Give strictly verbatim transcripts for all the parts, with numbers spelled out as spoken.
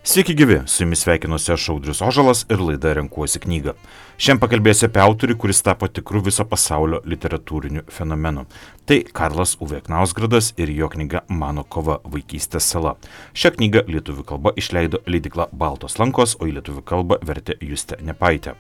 Sveiki gyvi, su jumis sveikinuosi aš Audrius Ožalas ir laida Renkuosi knygą. Šiandien pakalbėsiu apie autorių, kuris tapo tikru viso pasaulio literatūriniu fenomenu. Tai Karlas Uwe Knausgaardas ir jo knyga Mano kova vaikystės sala. Šią knygą lietuvių kalba išleido leidykla Baltos lankos, o į lietuvių kalbą vertė Justė Nepaitė.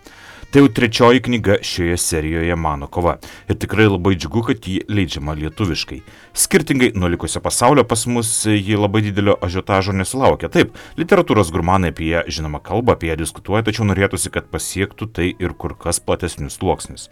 Tai jau trečioji knyga šioje serijoje Mano kova. Ir tikrai labai džiugu, kad ji leidžiama lietuviškai. Skirtingai nuo likusio pasaulio pas mus ji labai didelio ažiotažo nesulaukia. Taip, literatūros gurmanai apie ją žinoma kalba, apie ją diskutuoja, tačiau norėtųsi, kad pasiektų tai ir kur kas platesnius sluoksnius.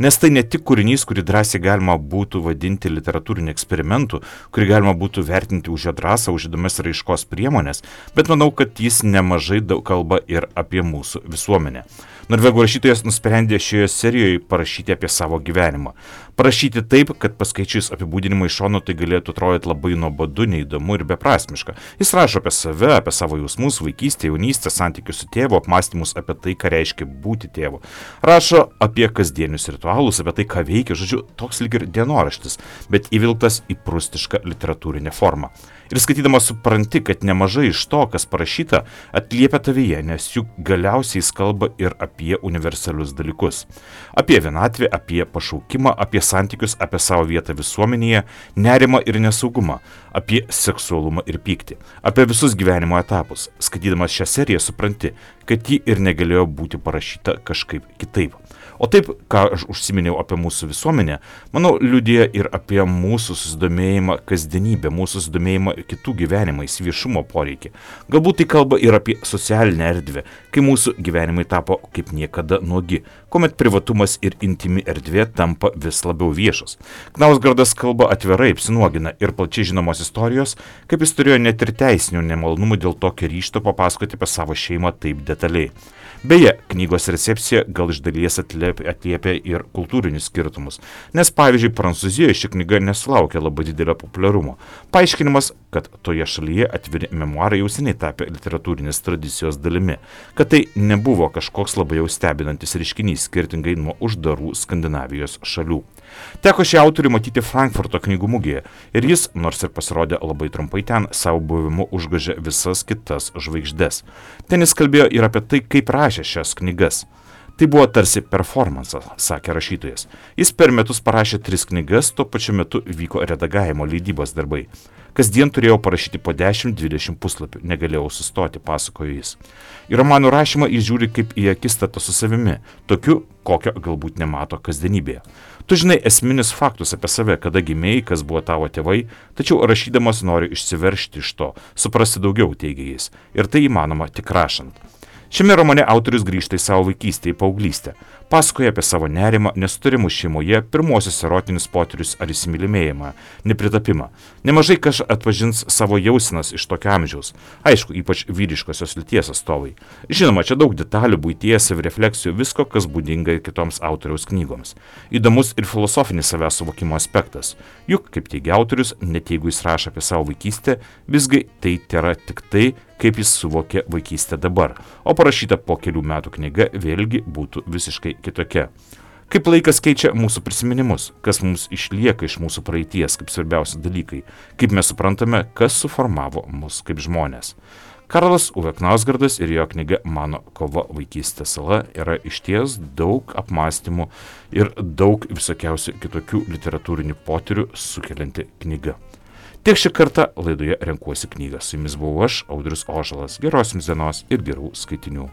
Nes tai ne tik kūrinys, kurį drąsiai galima būtų vadinti literatūriniu eksperimentu, kurį galima būtų vertinti už jo drąsą, už įdomias raiškos priemonės, bet manau, kad jis nemažai daug kalba ir apie mūsų visuomenę. Norvegų rašytojas nusprendė šioje serijoje parašyti apie savo gyvenimą. Parašyti taip, kad paskaičius apibūdinimą iš šono tai galėtų atrodyti labai nuobodu, neįdomu ir beprasmiška. Jis rašo apie save, apie savo jausmus, vaikystę, jaunystę, santykius su tėvu, apmąstymus apie tai, ką reiškia būti tėvu. Rašo apie kasdienius ritualus, apie tai, ką veikia, žodžiu, toks lyg ir dienoraštis, bet įvilktas į prustišką literatūrinę formą. Ir skaitydamas supranti, kad nemažai iš to, kas parašyta, atliepia tavyje, nes juk galiausiai jis kalba ir apie universalius dalykus. Apie vienatvę, apie pašaukimą, apie santykius, apie savo vietą visuomenėje, nerimą ir nesaugumą, apie seksualumą ir pyktį, apie visus gyvenimo etapus. Skaitydamas šią seriją supranti, kad ji ir negalėjo būti parašyta kažkaip kitaip. O taip, ką aš užsiminiau apie mūsų visuomenę, manau, liudija ir apie mūsų susidomėjimą kasdienybę, mūsų susidomėjimą kitų gyvenimais, viešumo poreikį. Galbūt tai kalba ir apie socialinę erdvę, kai mūsų gyvenimai tapo kaip niekada nuogi, kuomet privatumas ir intimi erdvė tampa vis labiau viešos. Knausgaardas kalba atvirai, apsinuogina ir plačiai žinomos istorijos, kaip jis turėjo net ir teisinių nemalonumų dėl tokio ryžto papasakoti apie savo šeimą taip detaliai. Beje, knygos recepcija gal iš dalies atliepia ir kultūrinius skirtumus, nes pavyzdžiui, Prancūzijoje ši knyga nesulaukia labai didelio populiarumo. Paaiškinimas, kad toje šalyje atviri memuarai jau seniai tapė literatūrinės tradicijos dalimi, kad tai nebuvo kažkoks labai jau stebinantis reiškinys skirtingai nuo uždarų Skandinavijos šalių. Teko šį autorių matyti Frankfurto knygų mugėje ir jis, nors ir pasirodė labai trumpai ten, savo buvimu užgožė visas kitas žvaigždes. Ten jis kalbėjo ir apie tai, kaip rašė šias knygas. Tai buvo tarsi performansas, sakė rašytojas. Jis per metus parašė tris knygas, tuo pačiu metu vyko redagavimo leidybos darbai. Kasdien turėjau parašyti po dešimt dvidešimt puslapių, negalėjau sustoti, pasakojo jis. Į romanų rašymą jis žiūri kaip į akistatą su savimi, tokiu, kokio galbūt nemato kasdienybėje. Tu žinai esminius faktus apie save, kada gimėjai, kas buvo tavo tėvai, tačiau rašydamas nori išsiveržti iš to, suprasti daugiau, teigia jis. Ir tai įmanoma tik rašant. Šiame romane autorius grįžta į savo vaikystę, į paauglystę. Pasakoja apie savo nerimą, nesutarimus šeimoje, pirmosius erotinius potyrius ar įsimylėjimą, nepritapimą. Nemažai kas atpažins savo jausenas iš tokio amžiaus. Aišku, ypač vyriškosios lyties atstovai. Žinoma, čia daug detalių, buities, savirefleksijų, visko, kas būdinga kitoms autoriaus knygoms. Įdomus ir filosofinis savęs suvokimo aspektas. Juk, kaip teigia autorius, net jeigu jis rašo apie savo vaikystę, visgi tai tėra tik tai, kaip jis suvokė vaikystę dabar, o parašyta po kelių metų knyga vėlgi būtų visiškai kitokia. Kaip laikas keičia mūsų prisiminimus, kas mums išlieka iš mūsų praeities kaip svarbiausi dalykai, kaip mes suprantame, kas suformavo mus kaip žmonės. Karlas Uwe Knausgaardas ir jo knyga Mano kova vaikystės sala yra išties daug apmąstymų ir daug visokiausių kitokių literatūrinių potyrių sukelianti knyga. Tiek šį kartą laidoje Renkuosi knygą. Su jumis buvau aš, Audrius Ožalas. Geros jums dienos ir gerų skaitinių.